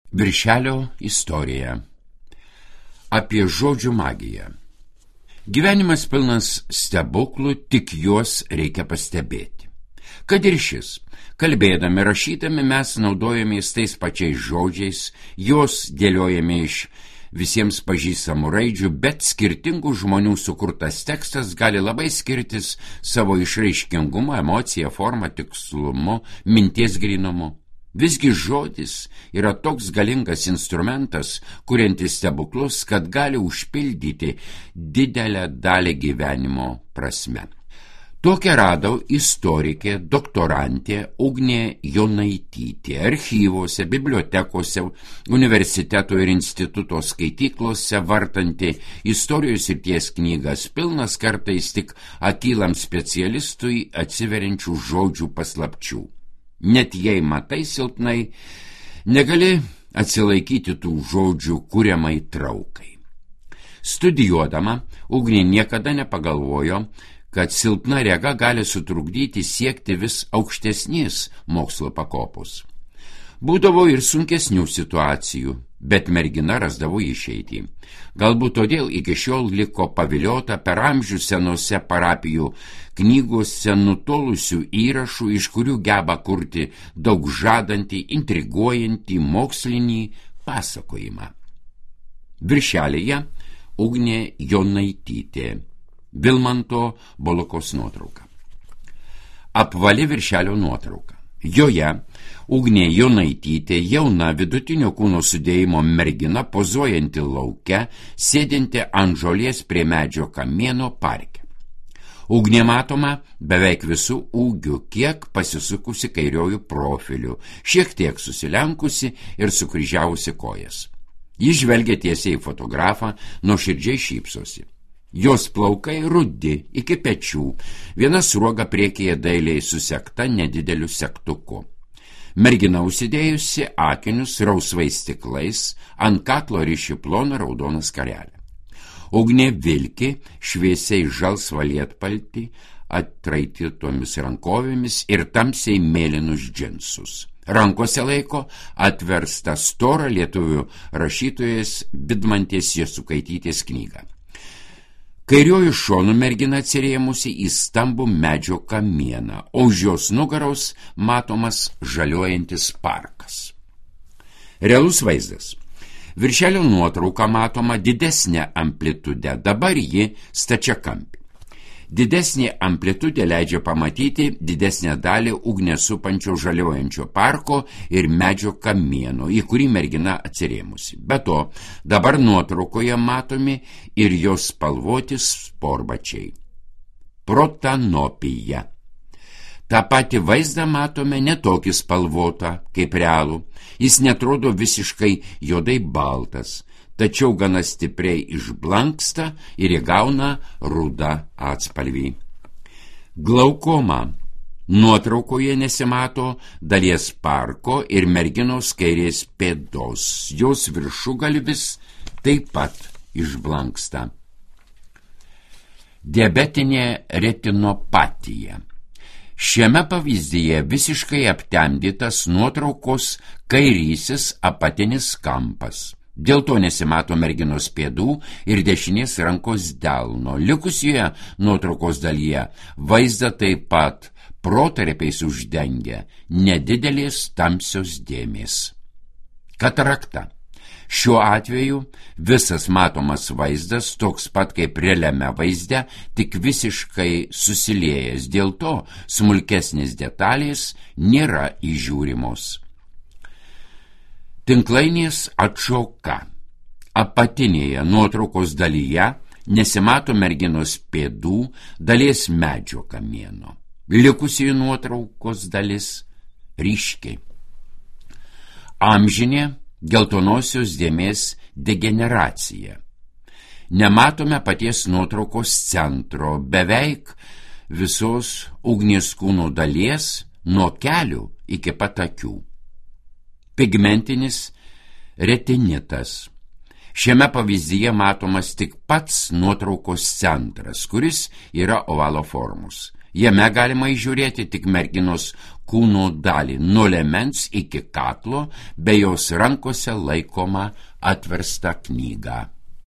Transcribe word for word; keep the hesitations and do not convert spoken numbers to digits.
Viršelio istorija. Apie žodžių magiją. Gyvenimas pilnas stebuklų, tik juos reikia pastebėti. Kad ir šis, kalbėdami, rašydami mes naudojamės tais pačiais žodžiais, juos dėliojame iš visiems pažįstamų raidžių, bet skirtingų žmonių sukurtas tekstas gali labai skirtis savo išraiškingumu, emocija, forma, tikslumu, minties grynumu. Visgi žodis yra toks galingas instrumentas, kuriantis stebuklus, kad gali užpildyti didelę dalį gyvenimo prasme. Tokią radau istorikė, doktorantė Ugnė Jonaitytė archyvose, bibliotekose, universiteto ir instituto skaityklose, vartanti istorijos srities knygas, pilnas kartais tik akylam specialistui atsiveriančių žodžių paslapčių. Net jei matai silpnai, negali atsilaikyti tų žodžių kuriamai traukai. Studijuodama, Ugnė niekada nepagalvojo, kad silpna rega gali sutrukdyti siekti vis aukštesnės mokslo pakopos. Būdavo ir sunkesnių situacijų, bet mergina rasdavo išeitį. Galbūt todėl iki šiol liko paviliota per amžių senose parapijų knygose nutolusių įrašų, iš kurių geba kurti daug žadantį, intriguojantį mokslinį pasakojimą. Viršelėje Ugnė Jonaitytė, Vilmanto Bolokos nuotrauka. Apvali viršelio nuotrauka. Joje Ugnė Jonaitytė, jauna vidutinio kūno sudėjimo mergina, pozuojanti lauke, sėdinti ant žolės prie medžio kamieno parke. Ugnė matoma beveik visų ūgių, kiek pasisukusi kairiojų profiliu, šiek tiek susilenkusi ir sukryžiavusi kojas. Ji žvelgia tiesiai į fotografą, nuoširdžiai šypsosi. Jos plaukai rudi iki pečių, viena sruoga priekyje dailiai susekta nedideliu segtuku. Mergina užsidėjusi akinius rausvais stiklais, ant kaklo riši ploną raudoną skarelę. Ugnė vilki šviesiai žalsvą lietpaltį, atraitytomis rankovėmis ir tamsiai mėlynus džinsus. Rankose laiko atverstą storą lietuvių rašytojas Vidmantės Jasukaitytės knygą. Kairiuoju šonu mergina atsirėmusi į stambų medžio kamieną, o už jos nugaros matomas žaliuojantis parkas. Realus vaizdas. Viršelio nuotrauka matoma didesnė amplitude, dabar ji stačiakampė. Didesnė amplitudė leidžia pamatyti didesnę dalį ugnę supančio žaliuojančio parko ir medžio kamieno, į kurį mergina atsirėmusi. Be to, dabar nuotraukoje matomi ir jos spalvoti sporbačiai. Protanopija. Ta pati vaizdą matome netokį spalvotą kaip realų. Jis netrodo visiškai juodai baltas, tačiau gana stipriai išblanksta ir įgauna rudą atspalvį. Glaukoma. Nuotraukoje nesimato dalies parko ir merginos kairės pėdos. Jos viršugalvis taip pat išblanksta. Diabetinė retinopatija. Šiame pavyzdyje visiškai aptemdytas nuotraukos kairysis apatinis kampas. Dėl to nesimato merginos pėdų ir dešinės rankos delno. Likusioje nuotraukos dalyje vaizdą taip pat protarpiais uždengia nedidelės tamsios dėmės. Katarakta. Šiuo atveju visas matomas vaizdas toks pat kaip realiame vaizde, tik visiškai susiliejęs, dėl to smulkesnės detalės nėra įžiūrimos. Tinklainės atšoka. Apatinėje nuotraukos dalyje nesimato merginos pėdų, dalies medžio kamieno. Likusi nuotraukos dalis ryškiai. Amžinė geltonosios dėmės degeneracija. Nematome paties nuotraukos centro, beveik visos ugnies kūno dalies nuo kelių iki pat akių. Pigmentinis retinitas. Šiame pavyzdyje matomas tik pats nuotraukos centras, kuris yra ovalo formos. Jame galima įžiūrėti tik merginos kūno dalį nuo liemens iki kaklo, bei jos rankose laikoma atverstą knygą.